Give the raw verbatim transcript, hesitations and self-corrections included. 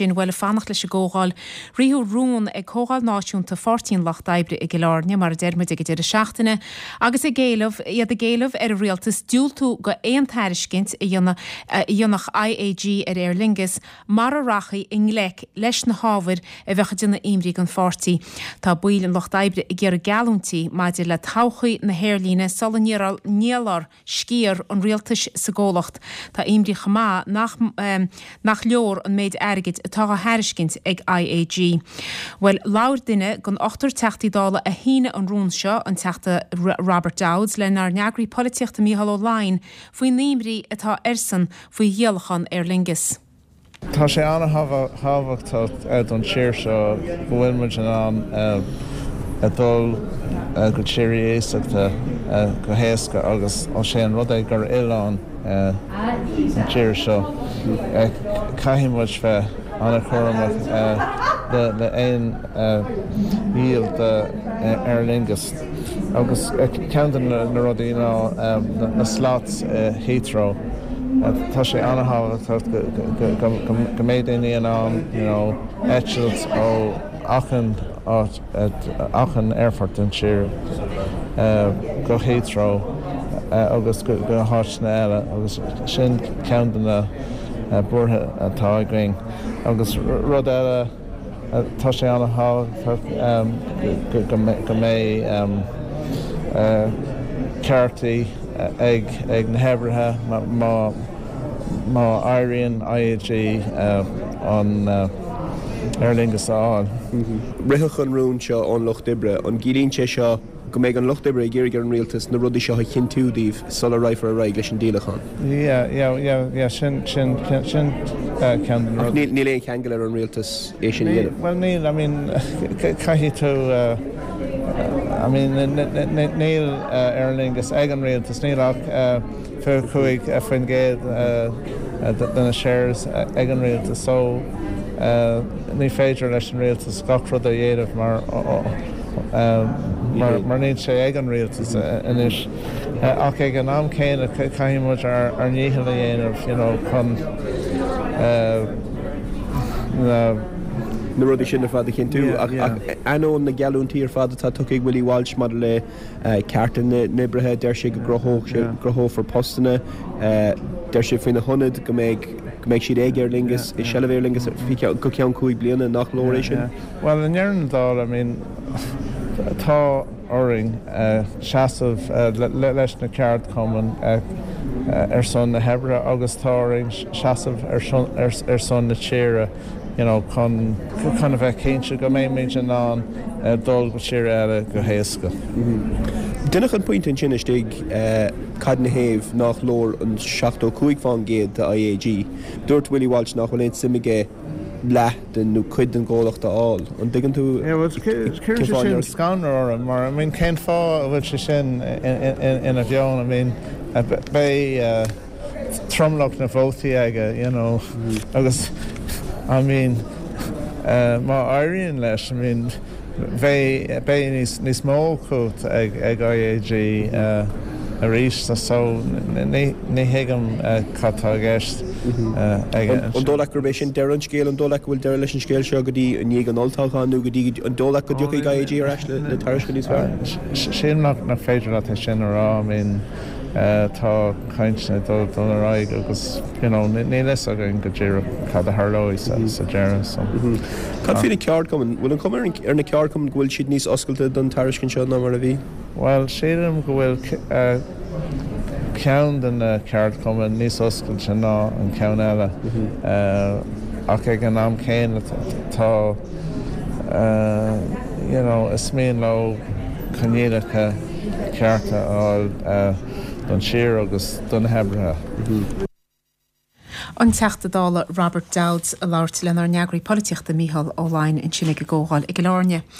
Sin bhuel ag fanacht leis an gcomhdháil. Ritheadh rún ag Comhdháil Náisiúnta Pháirtí an Lucht Oibre i gCill Airne, mar a deir muid ag an deireadh seachtaine, agus ag éileamh, iad ag éileamh ar an rialtas diúltú go aon tairiscint a dhéanfadh IAG ar Aer Lingus mara rachfaí i ngleic leis na hábhair a bheadh ag déanamh imní don pháirtí. Tá baill an Lucht Oibre ag iarraidh geallúintí maidir le todhchaí na haerlíne sula ndíolfar sciar an rialtais sa gcomhlacht. Tá imní chomh maith nach nach leor an méid airgid atá á thairiscint ag IAG. Bhuel, labhair duine den ochtar Teachtaí Dála a shínigh an rún seo, an Teachta Robert Dowds, lenár n-eagraí polaitíochta Mícheál Ó Laighin faoin imní atá airsean faoi dhíolachán Aer Lingus. Tá sé an-thábhachtach don tír seo go bhfuil muid in ann dul go tíortha iasachta go héasca agus ós é an rud é gur oileán an tír seo, caithfidh muid bheith an-chúramach le aon dhíol de Aer Lingus. Agus ceann de na rudaí ná na slots i Heathrow. Tá sé an-thábhachtach go mbeidh daoine in ann you know eitilt ó achan áit, achan aerfort den tír go Heathrow agus go háiteanna eile agus sin ceann de na buartha atá againn. Agus rud eile, tá sé an-thábhachtach go mbeidh ceartaí ag na hoibrithe má éiríonn IAG an Aer Lingus a fháil. Ritheadh an rún seo ón Lucht Oibre. An gciallaíonn sé seo go mbeidh an Lucht Oibre ag iarraidh ar an Rialtas na rudaí seo a chinntiú daoibh sula raghfar ar aghaidh leis an díolachán? Yeah, yeah, yeah, yeah, sin, sin, sin ceann de na rudaí. Ach níl aon cheangal ar an Rialtas é sin a dhéanamh? Bhuel níl, I mean, caithfidh tú, I mean, níl Aer Lingus ag an Rialtas, níl ach fiche cúig faoin gcéad de na shares ag an Rialtas so ní féidir leis an Rialtas gach rud a dhéanamh mar mar níl sé ag an Rialtas anois. Ach ag an am céanna caithfidh muid ár ndícheall a dhéanamh you know chun na na rudaí sin ar fad a chinntiú. Ach ainneoin na geallúintí ar fad atá tugtha ag Willie Walsh maidir le cearta na n-oibrithe, deir sé go gcruthófar postanna, deir sé faoina hionad go mbeidh go mbeidh siad ag Aer Lingus, i seilbh Aer Lingus go ceann cúig bliana, nach leor é sin? Bhuel, i ndeireadh na dála, I mean, tá orainn seasamh leis na ceardchumainn ar son na hoibre agus tá orainn seasamh ar son na tíre you know chun chun a bheith cinnte go mbeimid in ann dul go tír eile go héasca. Deineadh an pointe ansin istigh cad ina thaobh nach leor an seachtó cúig fán gcéad de IAG. Dúirt Willie Walsh nach bhfuil aon suim aige leath den nó cuid den gcomhlacht a fháil. An dtuigeann tú Yeah, well, cuireann sé sin scanradh orm mar I mean cén fáth a bhfuil sé sin ina mheon I mean beidh tromlach na vótaí aige you know agus I mean má éiríonn leis I mean bheidh beidh níos níos mó cumhacht ag ag IAG arís so ní ní thuigim cad tá i gceist aige An dóigh leat gurb é sin deireadh an scéil? An dóigh leat go bhfuil deireadh leis an scéal seo go dtí i ndiaidh an olltoghcháin nó go dtí an dóigh leat go dtiocfaidh IAG ar ais le tairiscint níos fearr? Sílim nach nach féidir leat é sin a rá I mean tá cainteanna ag dul dul ar aghaidh agus you know níl fhios againn go díreach cad a tharlóidh sa sa deireadh so. Cad faoi na ceardchumainn? Bhfuil an chuma ar na ceardchumainn go bhfuil siad níos oscailte don tairiscint seo ná mar a bhí? Bhuel, sílim go bhfuil ceann de na ceardchumainn níos oscailte ná an ceann eile ach ag an am céanna tá you know is mian leo coinníollacha cearta a fháil don tír agus do na hoibrithe. An Teachta Dála Robert Dowds ag labhairt lenár n-eagraí polaitíochta Mícheál Ó Laighin ansin ag an gcomhdháil i gCill Airne.